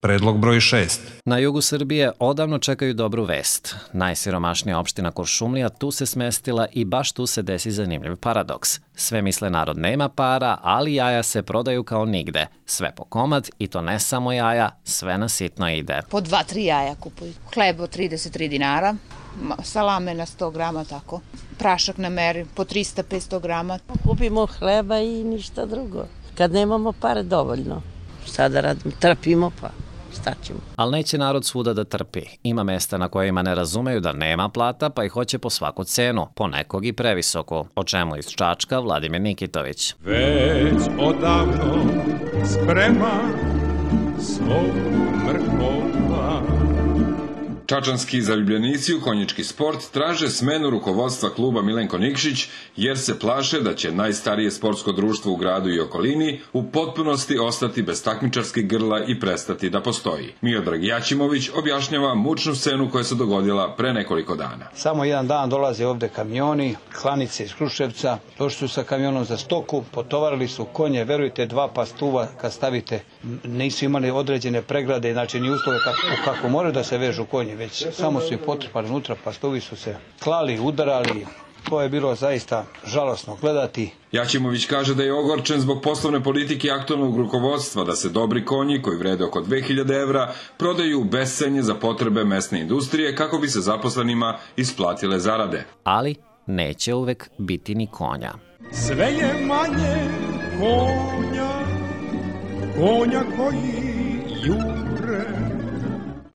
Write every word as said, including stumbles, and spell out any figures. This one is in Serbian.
Predlog broj šest. Na jugu Srbije odavno čekaju dobru vest. Najsiromašnija opština Kuršumlija tu se smestila i baš tu se desi zanimljiv paradoks. Sve misle narod nema para, ali jaja se prodaju kao nigde. Sve po komad i to ne samo jaja, sve na sitno ide. Po dva, tri jaja kupuju. Hleb od trideset tri dinara, salame na sto grama, tako. Prašak na meri po trista do petsto grama. Kupimo hleba i ništa drugo. Kad nemamo pare dovoljno. Šta da radimo? Trpimo pa. Ali neće narod svuda da trpi. Ima mesta na kojima ne razumeju da nema plata, pa ih hoće po svaku cenu, ponekog i previsoku. O čemu iz Čačka Vladimir Nikitović. Već odavno sprema svog mrkova. Čačanski zaljubljenici u konjički sport traže smenu rukovodstva kluba Milenko Nikšić jer se plaše da će najstarije sportsko društvo u gradu i okolini u potpunosti ostati bez takmičarskih grla i prestati da postoji. Miodrag Jaćimović objašnjava mučnu scenu koja se dogodila pre nekoliko dana. Samo jedan dan dolaze ovde kamioni, klanice iz Kruševca, došli su sa kamionom za stoku, potovarili su konje, verujte, dva pastuva kad stavite, nisu imali određene pregrade, znači ni uslove kako, kako moraju da se vežu konje, već samo su ih potrpali unutra, pastovi su se klali, udarali. To je bilo zaista žalosno gledati. Jaćimović kaže da je ogorčen zbog poslovne politike aktualnog rukovodstva da se dobri konji, koji vrede oko dve hiljade evra, prodaju u bescenje za potrebe mesne industrije kako bi se zaposlenima isplatile zarade. Ali neće uvek biti ni konja. Sve je manje konja, konja koji jure.